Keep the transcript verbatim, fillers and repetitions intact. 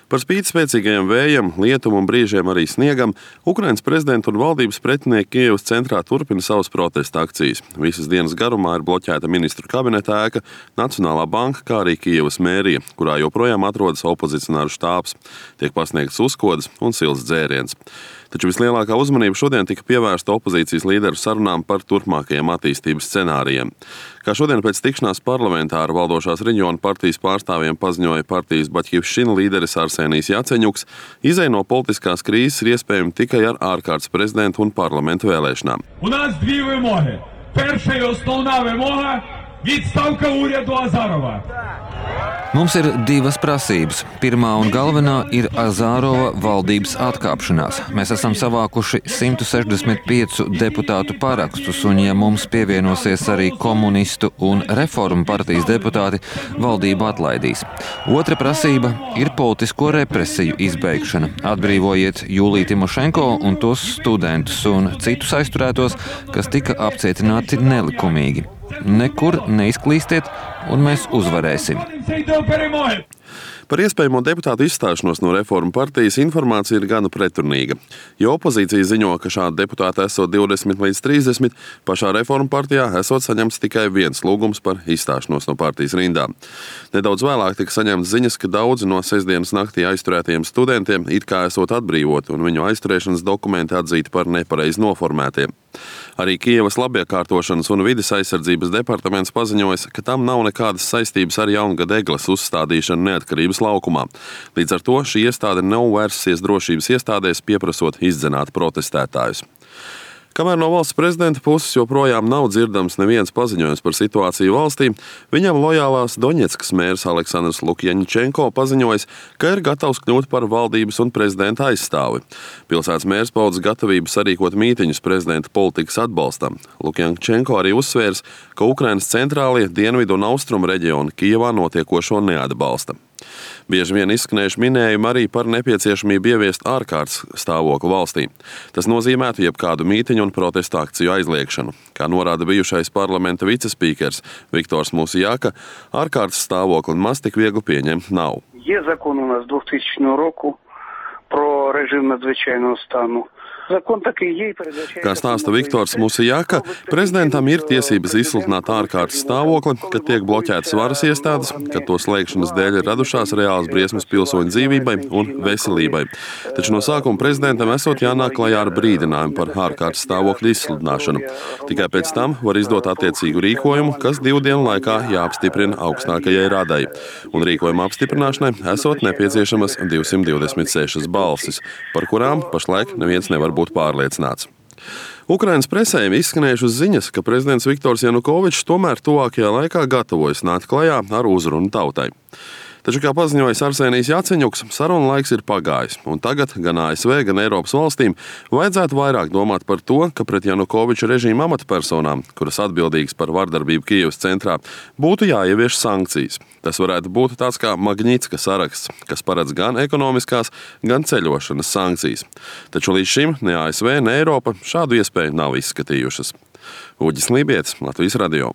Par spīti spēcīgajiem vējiem, lietum un brīžiem arī sniegam, Ukrainas prezidenta un valdības pretinieki Kijevas centrā turpina savas protesta akcijas. Visas dienas garumā ir bloķēta ministru kabineta ēka, Nacionālā banka, kā arī Kijevas mērija, kurā joprojām atrodas opozicionāru štābs. Tiek pasniegts uzkodas un silts dzēriens. Taču vislielākā uzmanība šodien tika pievērsta opozīcijas līderu sarunām par turpmākajiem attīstības scenārijiem. Kā šodien pēc tikšanās parlamentā ar valdošās reģiona partijas pārstāvjiem paziņoja partijas Baķivščina līderis Arsenijs Jaceņuks, izej no politiskās krīzes ir iespējama tikai ar ārkārtas prezidentu un parlamentu vēlēšanām. У нас дві вимоги. Перша і основна вимога – відставка уряду Азарова. Mums ir divas prasības. Pirmā un galvenā ir Azārova valdības atkāpšanās. Mēs esam savākuši simt sešdesmit piecu deputātu parakstus, un ja mums pievienosies arī komunistu un reformu partijas deputāti, valdību atlaidīs. Otra prasība ir politisko represiju izbeigšana. Atbrīvojiet Jūliju Timošenko un tos studentus un citus aizturētos, kas tika apcietināti nelikumīgi. Nekur neizklīstiet, un mēs uzvarēsim. Par iespējamo deputātu izstāšanos no reformu partijas informācija ir gana pretrunīga. Jo opozīcija ziņo, ka šādu deputātu esot divdesmit līdz trīsdesmit, pašā reformu partijā esot saņemts tikai viens lūgums par izstāšanos no partijas rindām. Nedaudz vēlāk tika saņemts ziņas, ka daudzi no sestdienas naktī aizturētajiem studentiem it kā esot atbrīvoti un viņu aizturēšanas dokumenti atzīti par nepareizi noformētiem. Arī Kijevas labiekārtošanas un vides aizsardzības departaments paziņojas, ka tam nav nekādas saistības ar Jaungada egles uzstādīšanu Neatkarības laukumā. Līdz ar to šī iestāde nav vērsusies drošības iestādēs, pieprasot izdzenāt protestētājus. Kamēr no valsts prezidenta puses joprojām nav dzirdams neviens paziņojums par situāciju valstī, viņam lojālās Doņetskas mērs Aleksandrs Lukjaņčenko paziņojis, ka ir gatavs kļūt par valdības un prezidenta aizstāvi. Pilsētas mērs paudis gatavību sarīkot mītiņus prezidenta politikas atbalstam. Lukjaņčenko arī uzsvērs, ka Ukrainas centrālie, dienvidu un austrumu reģioni Kijevā notiekošo neatbalsta. Bieži vien izskanējuši minējumi arī par nepieciešamību ieviest ārkārtas stāvokli valstī. Tas nozīmētu jebkādu mītiņu un protestu akciju aizliekšanu. Kā norāda bijušais parlamenta vicespīkers Viktors Musijaka, ārkārtas stāvokli maz tik viegli pieņemt nav. Є закон у нас двохтисячного року про режим надзвичайного стану. Kā stāsta Viktors Musijaka, prezidentam ir tiesības izsludināt ārkārtas stāvokli, kad tiek bloķētas varas iestādes, kad to slēgšanas dēļ ir radušās reālas briesmas pilsoņu dzīvībai un veselībai. Taču no sākuma prezidentam esot jānāk klajā ar brīdinājumu par ārkārtas stāvokļa izsludināšanu. Tikai pēc tam var izdot attiecīgu rīkojumu, kas divu dienu laikā jāapstiprina augstākajai radai. Un rīkojuma apstiprināšanai esot nepieciešamas divsimt divdesmit sešas balsis, par kurām pašlaik neviens nevar būt pārliecināts. Ukrainas presē izskanējušas ziņas, ka prezidents Viktors Janukovičs tomēr tuvākajā laikā gatavojas nākt klajā ar uzrunu tautai. Taču, kā paziņojis Arsenijs Jaceņuks, saruna laiks ir pagājis, un tagad gan A S V, gan Eiropas valstīm vajadzētu vairāk domāt par to, ka pret Janukoviča režīma amatpersonām, kuras atbildīgas par vardarbību Kijevas centrā, būtu jāievieš sankcijas. Tas varētu būt tāds kā Magnitska saraksts, kas paredz gan ekonomiskās, gan ceļošanas sankcijas. Taču līdz šim ne A S V, ne Eiropa šādu iespēju nav izskatījušas. Uģis Lībietis, Latvijas radio.